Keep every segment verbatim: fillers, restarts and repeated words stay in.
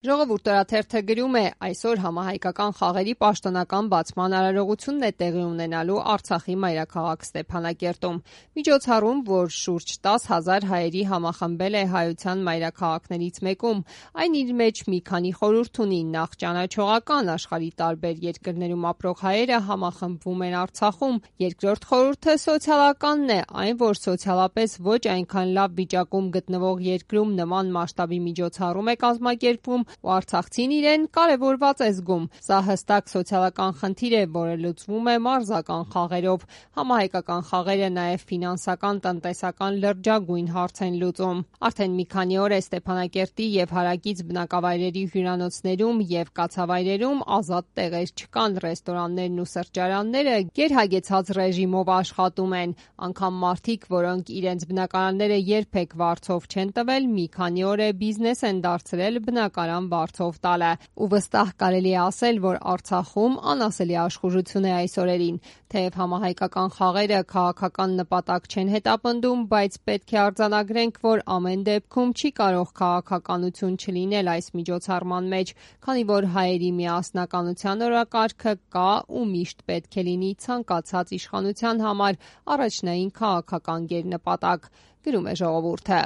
Ժողովուրդ օրաթերթը գրում է. այսօր համահայկական խաղերի պաշտոնական բացման արարողությունն է տեղի ունենալու Արցախի մայրաքաղաք Ստեփանակերտում։ Միջոցառում, որ շուրջ տասը հազար հայերի համախմբել է հայության մայրաքաղաքներից մեկում, այն իր մեջ մի քանի խորհուրդ ունի։ Նախ ճանաչողական, աշխարհի տարբեր երկրներում ապրող հայերը համախմբվում են Արցախում։ Երկրորդ խորհուրդը սոցիալականն է, այն, որ սոցիալապես ոչ այնքան լավ վիճակում գտնվող երկրում նման մասշտաբի միջոցառում է կազմակերպվում, ու արցախցին իրեն կարևորված է զգում։ Սա հստակ սոցիալական խնդիր է, որը լուծվում է մարզական խաղերով։ Համահայկական խաղերը նաև ֆինանսական, տնտեսական լրջագույն հարց են լուծում։ Արդեն մի քանի օր է Ստեփանակերտի եւ հարակից բնակավայրերի հյուրանոցներում եւ կացավայրերում ազատ տեղեր չկան։ Ռեստորաններն ու սրճարանները գերհագեցած ռեժիմով աշխատում են։ Անգամ մարդիկ, որոնք իրենց բնակարանները երբեք վարձով չեն տվել, մի քանի օր է բիզնես են դարձրել բնակարան վարձով տալը։ Ու վստահ կարելի է ասել, որ Արցախում անասելի աշխուժություն է այս օրերին։ Թեև համահայկական խաղերը քաղաքական նպատակ չեն հետապնդում, բայց պետք է արձանագրենք, որ ամեն դեպքում չի կարող քաղաքականություն չլինել այս միջոցառման մեջ, քանի որ հայերի միասնականության օրակարգը կա ու միշտ պետք է լինի ցանկացած իշխանության համար առաջնային քաղաքական գերնպատակ, գրում է ժողովուրդը։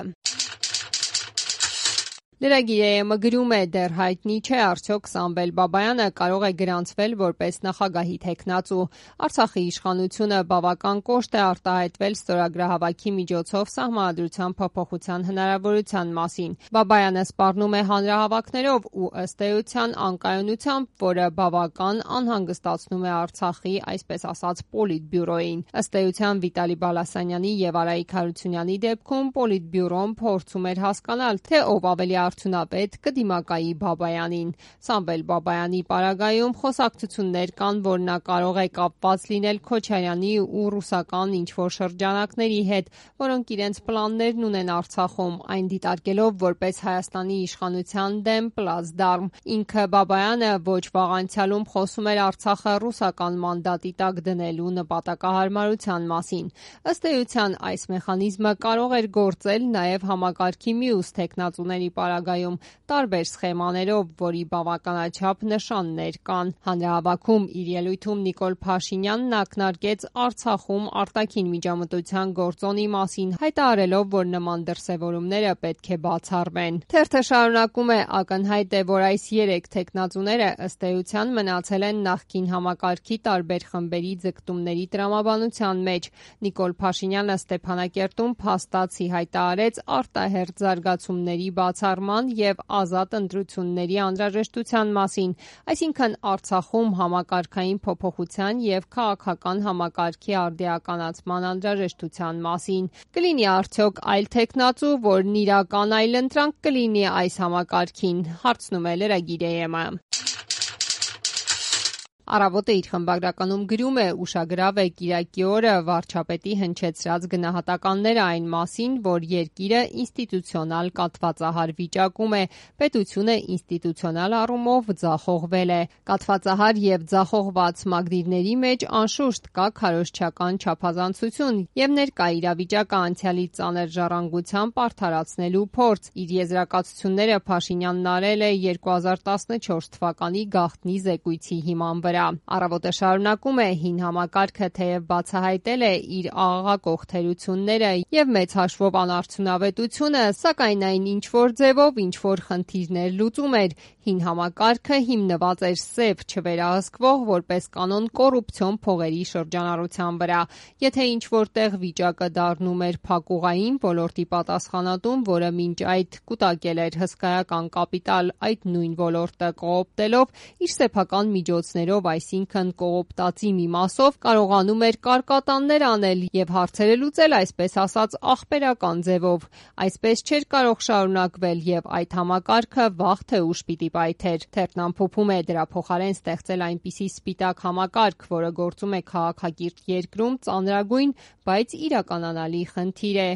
Լրագիր.am-ը գրում է. դեռ հայտնի չէ արդյոք Սամվել Բաբայանը կարող է գրանցվել որպես նախագահի թեկնածու։ Արցախի իշխանությունը բավական կոշտ է արտահայտվել ստորագրահավաքի միջոցով սահմանադրության փոփոխության հնարավորության մասին։ Բաբայանը սպառնում է հանրահավաքներով ու ըստ էության անկայունությամբ, որը բավական անհանգստացնում է Արցախի, այսպես ասած, պոլիտբյուրոյին։ Ըստ էության Վիտալի Բալասանյանի եւ Արայիկ Հարությունյանի դեպքում պոլիտբյուրոն փորձում էր հասկանալ, թե ով ավելի արդյունավետ կդիմակայի Բաբայանին։ Սամվել Բաբայանի պարագայում խոսակցություններ կան, որ նա կարող է կապված լինել Քոչարյանի ու ռուսական ինչ-որ շրջանակների հետ, որոնք իրենց պլաններն ունեն Արցախում, այն դիտարկելով որպես Հայաստանի իշխանության դեմ պլացդարմ։ Ինքը Բաբայանը ոչ վաղ անցյալում խոսում էր Արցախը ռուսական մանդատի տակ դնելու նպատակահարմարության մասին։ Ըստ էության այս մեխանիզմը կարող էր գործել նաև համակարգի մյուս թեկնածուների պարագայում տարբեր սխեմաներով, որի բավականաչափ նշաններ կան։ Հանրահավաքում իր ելույթում Նիկոլ Փաշինյանն ակնարկեց Արցախում արտաքին միջամտության գործոնի մասին, հայտարարելով, որ նման դրսևորումները պետք է բացառվեն։ Թերթը շարունակում է. ակնհայտ է, որ այս երեք թեկնածուները ըստ էության մնացել են նախկին համակարգի տարբեր խմբերի ձգտումների տրամաբանության մեջ։ Նիկոլ Փաշինյանը Ստեփանակերտում փաստացի հայտարարեց արտահերթ զարգացումների բացառման եւ ազատ ընտրությունների անհրաժեշտության մասին, այսինքն Արցախում համակարգային փոփոխության եւ քաղաքական համակարգի արդիականացման անհրաժեշտության մասին։ Կլինի արդյոք այլ թեկնածու, որն իրական այլընտրանք կլինի այս համակարգին, հարցնում է լրագիր.am-ը։ Առավոտը իր խմբագրականում գրում է. ուշագրավ է կիրակի օրը վարչապետի հնչեցրած գնահատականները այն մասին, որ երկիրը ինստիտուցիոնալ կաթվածահար վիճակում է, պետությունը ինստիտուցիոնալ առումով ձախողվել է։ Կաթվածահար եւ ձախողված մակդիրների մեջ անշուշտ կա քարոզչական չափազանցություն եւ ներկա իրավիճակը անցյալի ծանր ժառանգությամբ արդարացնելու փորձ։ Իր եզրակացությունները Փաշինյանն արել է երկու հազար տասնչորս թվականի գաղտնի զեկույցի հիման վրա։ Առավոտը շարունակում է. հին համակարգը թեև բացահայտել է իր աղաղակող թերությունները եւ մեծ հաշվով անարդյունավետությունը, սակայն այն ինչ-որ ձևով ինչ-որ խնդիրներ լուծում էր։ Հին համակարգը հիմնված էր սև, չվերահսկվող, որպես կանոն կոռուպցիոն փողերի շրջանառության վրա։ Եթե ինչ-որ տեղ վիճակը դառնում էր փակուղային ոլորտի պատասխանատուն, որը մինչ այդ կուտակել էր հսկայական կապիտալ այդ նույն ոլորտը կոոպտելով իր սեփական միջոցներով, այսինքն կոոպտածի մի մասով, կարողանում էր կարկատաններ անել եւ հարցերը լուծել, այսպես ասած, ախպերական ձևով։ Այսպես չէր կարող շարունակվել եւ այդ համակարգը վաղ թե ուշ պիտի պայթեր։ Թերթն ամփոփում է. դրա փոխարեն ստեղծել այնպիսի սպիտակ համակարգ, որը գործում է քաղաքակիրթ երկրում, ծանրագույն, բայց իրականանալի խնդիր է։